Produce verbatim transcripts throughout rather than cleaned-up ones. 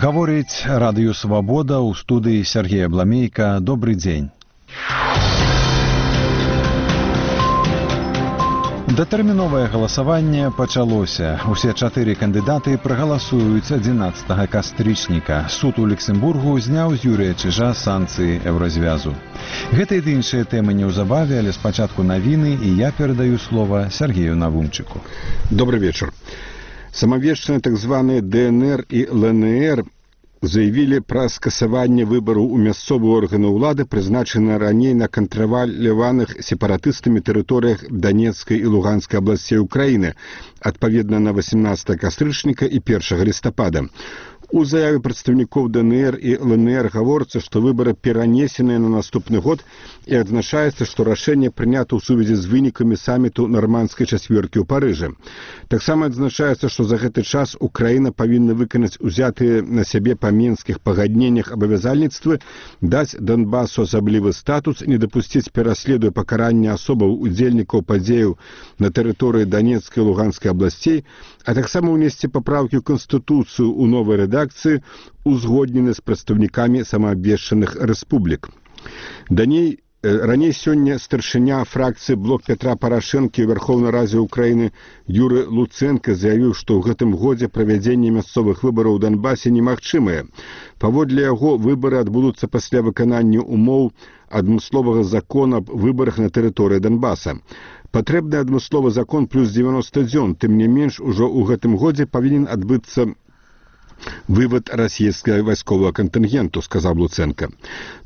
Гаворыць радыё «Свабода», у студыі Сергей Абламейка. Добрый дзень. Датэрміновае галасаванне пачалося. Усе чатыры кандыдаты прагаласуюць адзінаццатага кастрычніка. Суд у Люксембургу зняў з Юрыя Чижа санкцыі Еўразвязу. Гэта і іншыя тэмы неўзабаве, але спачатку навіны, і я перадаю слова Сергею Навунчыку. Добрый вечер. Самавешчаныя так званыя ДНР і ЛНР заявілі пра скасаванне выбараў у мясцовыя органы ўлады, прызначаныя раней на кантраляваных сепаратыстамі тэрыторыях Донецкай і Луганскай абласцей Украіны, адпаведна на васемнаццатага кастрычніка і першага лістапада. У заяве прадстаўнікоў ДНР і ЛНР гаворыцца, што выбары перанесеныя на наступны год, і адзначаецца, што рашэнне прынята ў сувязі з вынікамі саміту нармандскай чацвёркі ў Парыжы. Таксама адзначаецца, што за гэты час Украіна павінна выканаць узятыя на сябе па мінскіх пагадненнях абавязальніцтвы, даць Донбасу асаблівы статус, не дапусціць пераследу і пакарання асобаў удзельнікаў падзеяў на тэрыторыі Донецкай і Луганскай абласцей, а таксама ўнесці папраўкі ў Канстытуцыю ў новай рэдакцыі, узгоднены з прадстаўнікамі самаабвешчаных рэспублік. Даней Раней сёння старшыня фракцыі «Блок Петра Парашэнкі» ў Верхоўнай Радзе Украіны Юры Луцэнка заявіў, што ў гэтым годзе правядзенне мясцовых выбараў у Донбасе немагчымае. Паводле яго, выбары адбудуцца пасля выканання умоў адмысловага закона аб выбарах на тэрыторыі Донбаса. Патрэбны адмысловы закон плюс дзевяноста дзён, тым не менш, ужо ў гэтым годзе павінен адбыцца вывод расійскага вайсковага кантынгенту, сказаў Луцэнка.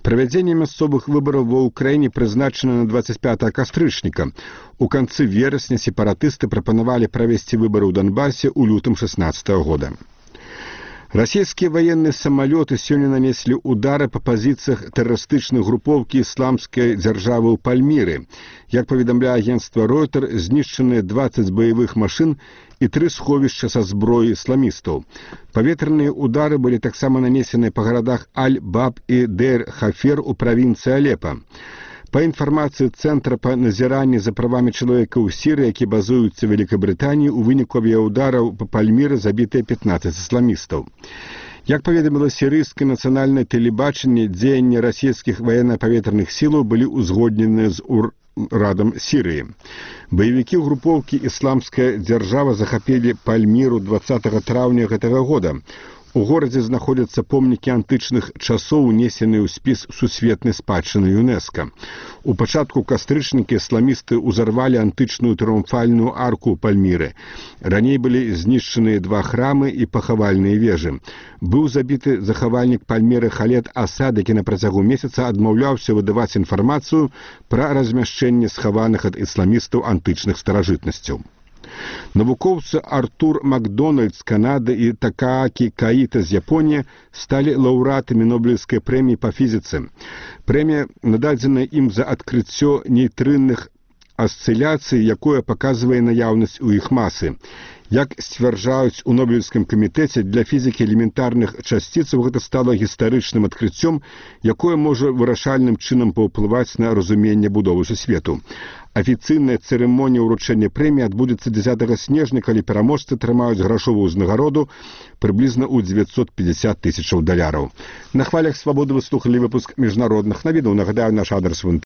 Правядзенне мясцовых выбараў ва Ўкраіне прызначана на дваццаць пятага кастрычніка. У канцы верасня сепаратысты прапанавалі правесці выбары ў Донбасе ў лютым шэснаццатага года. Расійскія военные самолеты сёння нанеслі удары па пазіцыях тэрарыстычнай групоўкі ісламскай дзяржавы ў Пальміры. Як паведамляе агенцтва Ройтер, знішчаныя дваццаць баявых машын і тры сховішча са зброі ісламістаў. Паветраныя удары былі таксама нанесеныя па гарадах Аль-Баб і Дейр-Хафер у правінцыі Алепа. Па інфармацыі Цэнтра па назіранні за правамі чалавека ў Сірыі, які базуюцца ў Великабрытаніі, у выніку авіяудараў па Пальміры забітыя пятнаццаць ісламістаў. Як паведаміла сірыйскае нацыянальнае тэлебачанне, дзеянні расійскіх ваенна-паветраных сілаў былі ўзгодненыя з урадам Сірыі. Баевікі групоўкі «Ісламская дзяржава» захапілі Пальміру дваццатага траўня гэтага года. У горадзе знаходзяцца помнікі антычных часоў, унесеныя ў спіс сусветнай спадчыны ЮНЕСКО. У пачатку кастрычніка ісламісты ўзарвалі антычную трыумфальную арку Пальміры. Раней былі знішчаныя два храмы і пахавальныя вежы. Быў забіты захавальнік Пальміры Халед Асад, які на працягу месяца адмаўляўся выдаваць інфармацыю пра размяшчэнне схаваных ад ісламістаў антычных старажытнасцяў. Навукоўцы Артур Макдональд з Канады і Такаакі Каіта з Японіі сталі лаўрэатамі Нобелеўскай прэміі па фізіцы. Прэмія нададзена ім за адкрыццё нейтрынных асцыляцый, якое паказвае наяўнасць у іх масы. Як сцвярджаюць у Нобелеўскім камітэце, для фізікі элементарных часціцаў гэта стала гістарычным адкрыццём, якое можа вырашальным чынам паўплываць на разуменне будовы сусвету. Афіцыйная цырымонія ўручэння прэміі адбудзецца дзесятага снежня, калі пераможцы атрымаюць грашовую ўзнагароду прыблізна ў дзевяцьсот пятьдесят тысячаў даляраў. На хвалях «Свабоды» вы слухалі выпуск міжнародных навінаў. Нагадаю, наш адрес в